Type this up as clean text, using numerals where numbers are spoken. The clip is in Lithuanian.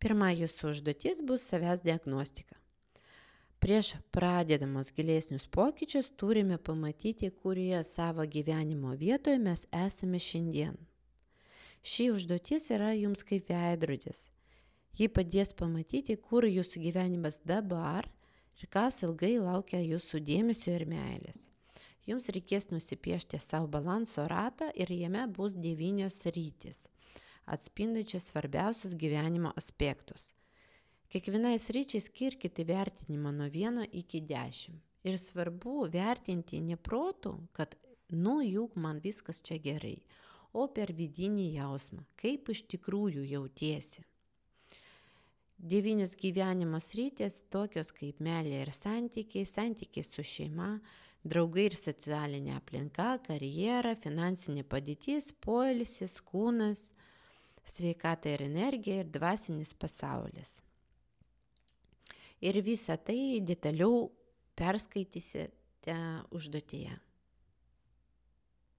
Pirma jūsų užduotis bus savęs diagnostika. Prieš pradedamos gilesnius pokyčius turime pamatyti, kurioje savo gyvenimo vietoje mes esame šiandien. Ši užduotis yra jums kaip veidrodis. Ji padės pamatyti, kur jūsų gyvenimas dabar ir kas ilgai laukia jūsų dėmesio ir meilės. Jums reikės nusipiešti savo balanso ratą ir jame bus 9 sritys, atspindančios svarbiausius gyvenimo aspektus. Kiekvienai sričiai skirkite vertinimą nuo 1 iki 10. Ir svarbu vertinti ne protu, kad juk man viskas čia gerai, o per vidinį jausmą, kaip iš tikrųjų jautiesi. 9 gyvenimo sritys tokios kaip meilė ir santykiai, santykiai su šeima, draugai ir socialinė aplinka, karjera, finansinė padėtis, poilsis, kūnas, sveikata ir energija ir dvasinis pasaulis. Ir visą tai detaliau perskaitysite užduotyje.